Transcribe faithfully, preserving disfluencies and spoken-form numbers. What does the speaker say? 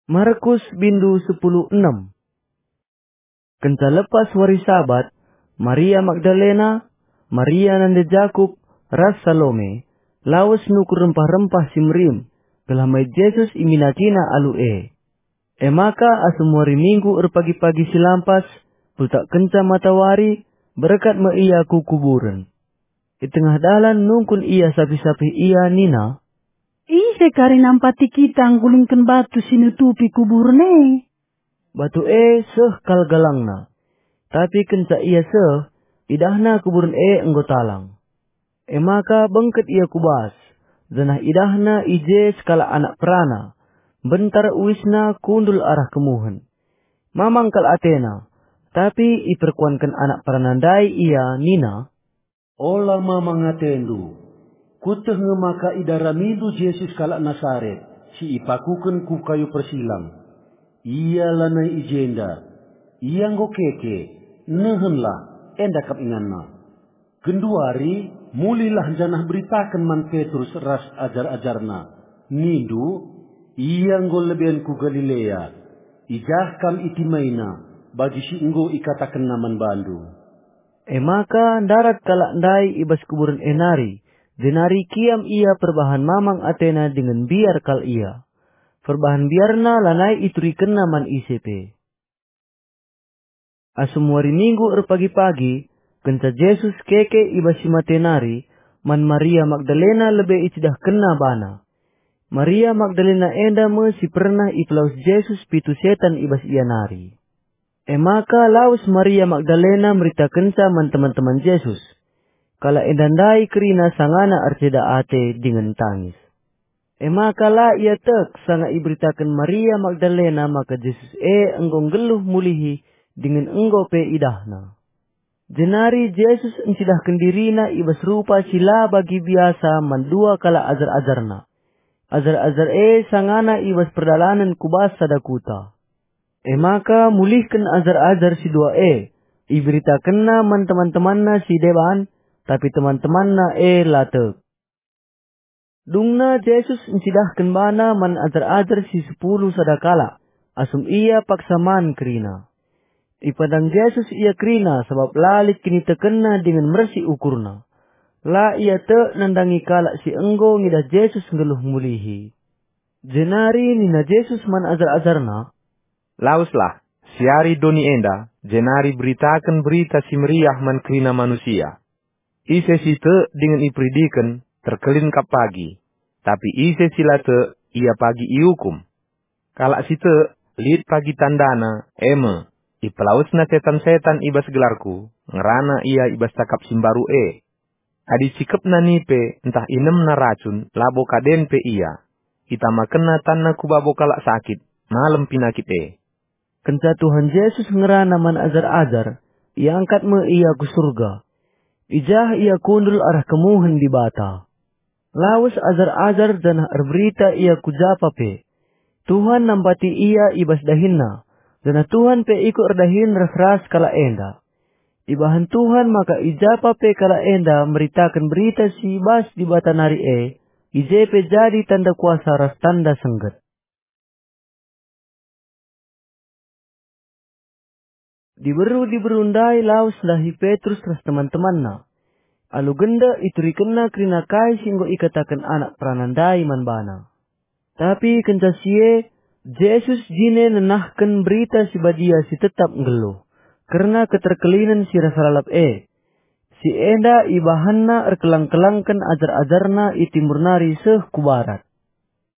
Markus bindu sepuluh enem. Kenca lepas wari Sabat, Maria Magdalena, Maria nande Jakup, ras Salome, lawes nukur rempah-rempah si merim, gelah mait Jesus iminakina alu e. E maka asum wari Minggu erpagi-pagi si lampas, kultakkenca matawari, berkat me ia ku kuburen. I tengah dalan nungkun ia sapih-sapih ia nina, "Ise kari nampati kita nggulingken batu si nutupi kuburen e?" Batu e seh kal galangna, tapi kenca ia seh, idahna kuburen e enggo talang. E maka bengket ia ku bas, janah idahna i je sekalak anak perana, mbentar uisna kundul arah kemuhen. Mamang kal atena, tapi iperkuanken anak perana ndai ia nina, "Ola mamang atendu. Kueteh nge maka idaramindu Jesus kalak Nasaret, si ipakuken ku kayu persilang. Ia lanai i jenda. Ia enggo keke. Nehenlah, enda kap inganna. Genduari, mulihlah janah beritaken man Petrus ras ajar-ajarna. Nindu, 'Ia enggo leben ku Galilea. I jah kam itimaina, bagi si enggo ikatakenna man bandu.'" E maka ndarat kalak ndai i bas kuburen e nari, jenari kiam ia perbahan mamang atena dingen mbiar kal ia. Perbahan mbiarna lanai iturikenna man ise pe. Asum wari Minggu erpagi-pagi, kenca Jesus keke i bas si mate nari, man Maria Magdalena lebe icidahkenna bana. Maria Magdalena enda me si pernah ipelawes Jesus pitu setan i bas ia nari. E maka lawes Maria Magdalena meritakenca man teman-teman Jesus. Kalak enda ndai kerina sangana erceda ate dingen tangis. E maka la ia tek sanga iberitaken Maria Magdalena maka Jesus e enggo nggeluh mulihi dingen enggo pe idahna. Jenari Jesus encidahken diriNa i bas rupa si la bagi biasa man dua kalak ajar-ajarNa. Ajar-ajar e sangana i bas perdalanen ku bas sada kuta. E maka mulihken ajar-ajar si dua e, iberitakenNa man teman-temanNa si deban, tapi teman-temanNa e la tek. Dungna Jesus encidahken baNa man ajar-ajar si sepuluh sada kalak, asum Ia paksa man kerina. Ipandang Jesus ia kerina sabap la lit kinitekenna dingen mersi ukurna. La ia tek nandangi kalak si enggo ngidah Jesus nggeluh mulihi. Jenari nina Jesus man ajar-ajarNa, "Laweslah, siari doni enda, jenari beritaken Berita Si Meriah man kerina manusia. Ise si tek dingen iperidiken, terkelin kap pagi, tapi ise si la tek, ia pagi iukum. Kalak si tek, lit pagi tandana, e me, ipelawesna setan-setan i bas gelarKu, ngerana ia i bas cakap si mbaru e. Adi cikepna nipe ntah inemna racun, labo kaden pe ia. Itamakenna tanna ku babo kalak sakit, malem pinakit e." Kenca Tuhan Jesus ngerana man ajar-ajar, iangkat me Ia ku Surga. I jah Ia kundul arah kemuhen Dibata. Lawes ajar-ajar janah erberita Ia ku japa pe. Tuhan nampati ia i bas dahinna, janah Tuhan pe ikut erdahin ras-ras kalak enda. Ibahan Tuhan maka i japa pe kalak enda meritaken berita si bas Dibata nari e, i je pe jadi tanda kuasa ras tanda sengget. Diberu-diberu ndai lawes ndahi Petrus ras teman-temanna. Alu genda iturikenna kerina kai si enggo ikataken anak perana ndai man bana. Tapi kenca si e, Jesus jine nenahken Berita Si Badia si tetap nggeluh, kerna keterkelinen si rasa lalap e. Si enda ibahanna erkelang-kelangken ajar-ajarna i timur nari seh ku barat.